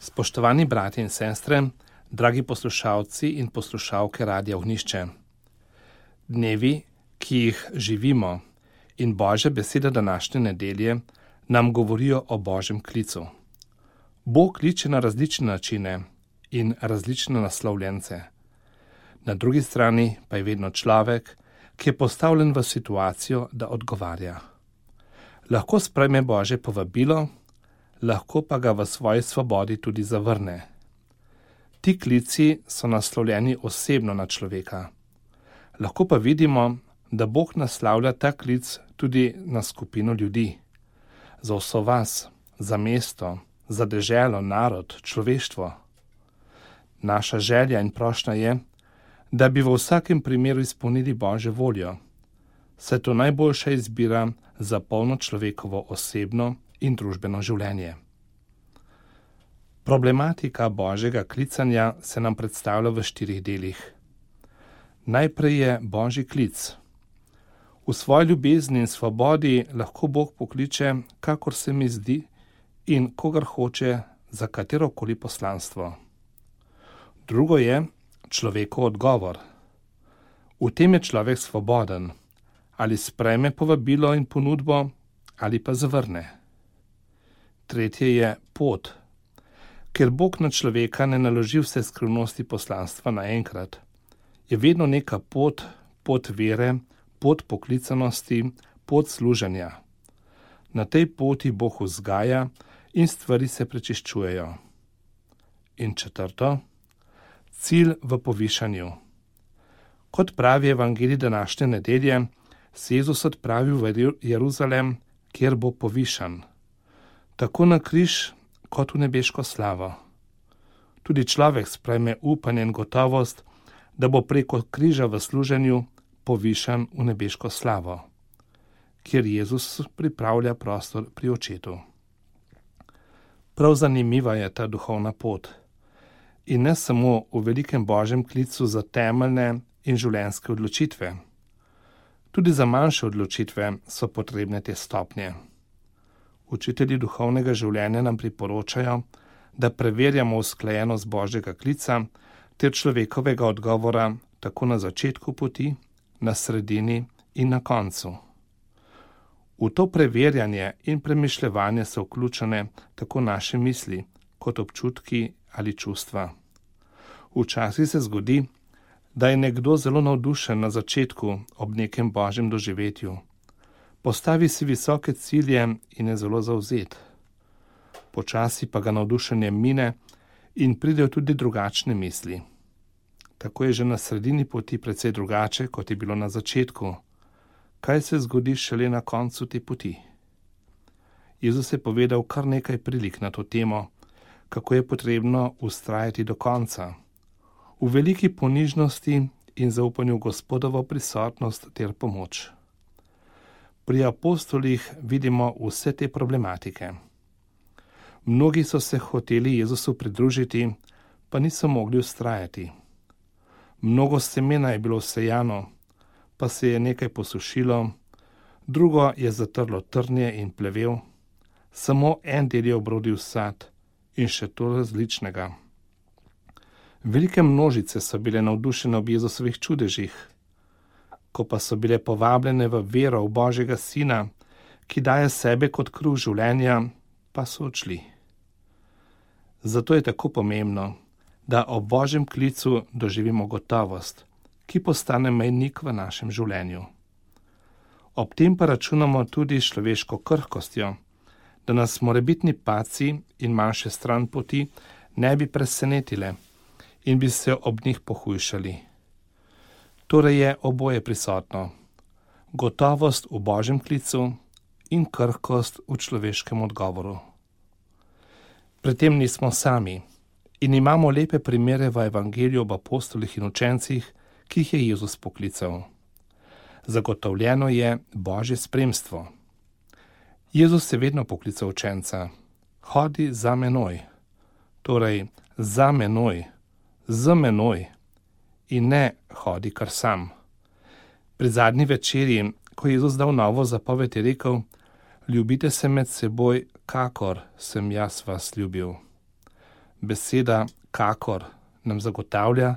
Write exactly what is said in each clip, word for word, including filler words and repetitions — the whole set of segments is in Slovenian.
Spoštovani brati in sestre, dragi poslušalci in poslušalke Radia Ognjišče. Dnevi, ki jih živimo, in Božja beseda današnje nedelje nam govorijo o Božjem klicu. Bog kliče na različne načine in različne naslovljence. Na drugi strani pa je vedno človek, ki je postavljen v situacijo, da odgovarja. Lahko sprejme Božje povabilo, lahko pa ga v svoji svobodi tudi zavrne. Ti klici so naslovljeni osebno na človeka. Lahko pa vidimo, da Bog naslavlja ta klic tudi na skupino ljudi. Za vso vas, za mesto, za deželo, narod, človeštvo. Naša želja in prošnja je, da bi v vsakem primeru izpolnili Božjo voljo. Saj to najboljša izbira za polno človekovo osebno in družbeno življenje. Problematika Božjega klicanja se nam predstavlja v štirih delih. Najprej je Božji klic. V svoji ljubezni in svobodi lahko Bog pokliče, kakor se mi zdi in kogar hoče za katerokoli poslanstvo. Drugo je človekov odgovor. V tem je človek svoboden, ali sprejme povabilo in ponudbo, ali pa zavrne. Tretje je pot. Ker Bog na človeka ne naloži vse skrivnosti poslanstva naenkrat, je vedno neka pot, pot vere, pot poklicanosti, pot služenja. Na tej poti Bog vzgaja in stvari se prečiščujejo. In četrto, cilj v povišanju. Kot pravi evangelij današnje nedelje, se Jezus odpravil v Jeruzalem, kjer bo povišan. Tako na križ, kot v nebeško slavo. Tudi človek sprejme upanje in gotovost, da bo preko križa v služenju povišan v nebeško slavo, kjer Jezus pripravlja prostor pri očetu. Prav zanimiva je ta duhovna pot. In ne samo v velikem Božjem klicu za temeljne in življenjske odločitve. Tudi za manjše odločitve so potrebne te stopnje. Učitelji duhovnega življenja nam priporočajo, da preverjamo usklajenost Božjega klica ter človekovega odgovora tako na začetku poti, na sredini in na koncu. V to preverjanje in premišljevanje so vključene tako naše misli, kot občutki ali čustva. Včasih se zgodi, da je nekdo zelo navdušen na začetku ob nekem Božjem doživetju. Postavi si visoke cilje in je zelo zavzet. Počasi pa ga navdušenje mine in pridejo tudi drugačne misli. Tako je že na sredini poti precej drugače, kot je bilo na začetku. Kaj se zgodi šele na koncu te poti? Jezus je povedal kar nekaj prilik na to temo, kako je potrebno vztrajati do konca. V veliki ponižnosti in zaupanju Gospodovo prisotnost ter pomoč. Pri apostolih vidimo vse te problematike. Mnogi so se hoteli Jezusu pridružiti, pa niso mogli vztrajati. Mnogo semena je bilo sejano, pa se je nekaj posušilo, drugo je zatrlo trnje in plevel, samo en del je obrodil sad in še to različnega. Velike množice so bile navdušene ob Jezusovih čudežih, ko pa so bile povabljene v vero v Božjega Sina, ki daje sebe kot kruh življenja, pa so odšli. Zato je tako pomembno, da ob Božjem klicu doživimo gotovost, ki postane mejnik v našem življenju. Ob tem pa računamo tudi s človeško krhkostjo, da nas morebitni padci in manjše stran poti ne bi presenetile in bi se ob njih pohujšali. Torej je oboje prisotno. Gotovost v Božjem klicu in krhkost v človeškem odgovoru. Pri tem nismo sami in imamo lepe primere v evangeliju ob apostolih in učencih, ki jih je Jezus poklical. Zagotovljeno je Božje spremstvo. Jezus je vedno poklical učenca. Hodi za menoj. Torej, za menoj, z menoj in ne hodi kar sam. Pri zadnji večerji, ko je Jezus dal novo zapoved, je rekel: ljubite se med seboj, kakor sem jaz vas ljubil. Beseda kakor nam zagotavlja,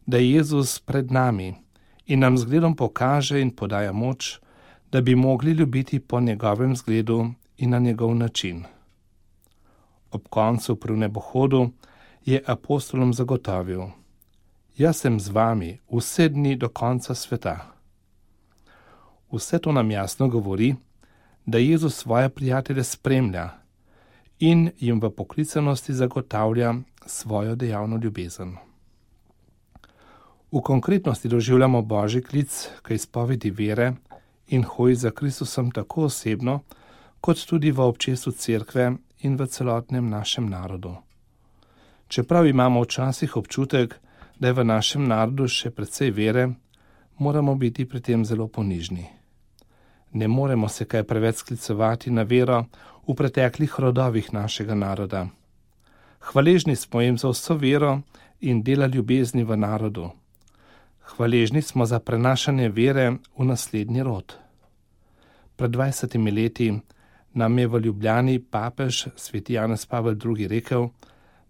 da je Jezus pred nami in nam zgledom pokaže in podaja moč, da bi mogli ljubiti po njegovem zgledu in na njegov način. Ob koncu pri nebohodu je apostolom zagotovil: Jaz sem z vami vse dni do konca sveta. Vse to nam jasno govori, da Jezus svoje prijatelje spremlja in jim v poklicanosti zagotavlja svojo dejavno ljubezen. V konkretnosti doživljamo Božji klic k izpovedi vere in hoji za Kristusom tako osebno, kot tudi v občestvu cerkve in v celotnem našem narodu. Čeprav imamo včasih občutek, da je v našem narodu še precej vere, moramo biti pri tem zelo ponižni. Ne moremo se kaj preveč sklicevati na vero v preteklih rodovih našega naroda. Hvaležni smo jim za vso vero in dela ljubezni v narodu. Hvaležni smo za prenašanje vere v naslednji rod. Pred dvajsetimi leti nam je v Ljubljani papež sveti Janez Pavel drugi. rekel,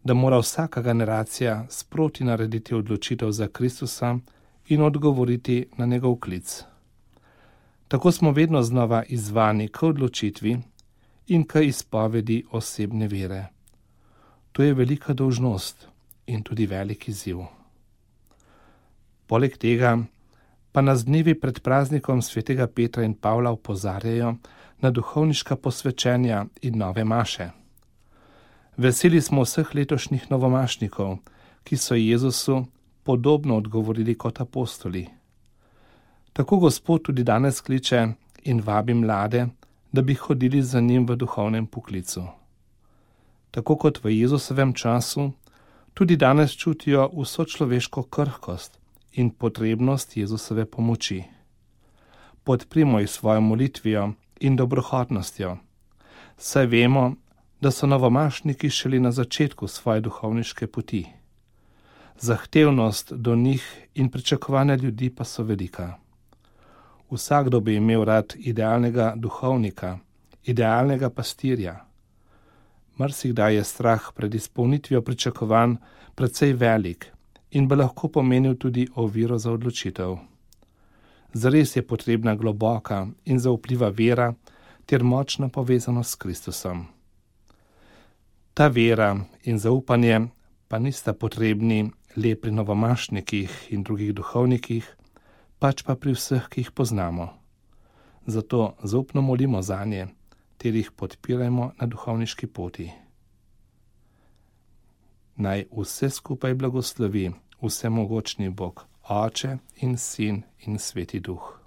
da mora vsaka generacija sproti narediti odločitev za Kristusa in odgovoriti na njegov klic. Tako smo vedno znova izzvani k odločitvi in k izpovedi osebne vere. To je velika dolžnost in tudi velik izziv. Poleg tega pa nas dnevi pred praznikom svetega Petra in Pavla opozarjajo na duhovniška posvečenja in nove maše. Veseli smo vseh letošnjih novomašnikov, ki so Jezusu podobno odgovorili kot apostoli. Tako Gospod tudi danes kliče in vabi mlade, da bi hodili za njim v duhovnem poklicu. Tako kot v Jezusovem času, tudi danes čutijo vso človeško krhkost in potrebnost Jezusove pomoči. Podprimo jih svojo molitvijo in dobrohotnostjo, saj vemo, da so novomašniki šele na začetku svoje duhovniške poti. Zahtevnost do njih in pričakovanja ljudi pa so velika. Vsakdo bi imel rad idealnega duhovnika, idealnega pastirja. Marsikdaj je strah pred izpolnitvijo pričakovanj precej velik in bi lahko pomenil tudi oviro za odločitev. Zares je potrebna globoka in zaupljiva vera ter močna povezanost s Kristusom. Ta vera in zaupanje pa nista potrebni le pri novomašnikih in drugih duhovnikih, pač pa pri vseh, ki jih poznamo. Zato zaupno molimo zanje, ter jih podpirajmo na duhovniški poti. Naj vse skupaj blagoslovi vsemogočni Bog, Oče in Sin in Sveti Duh.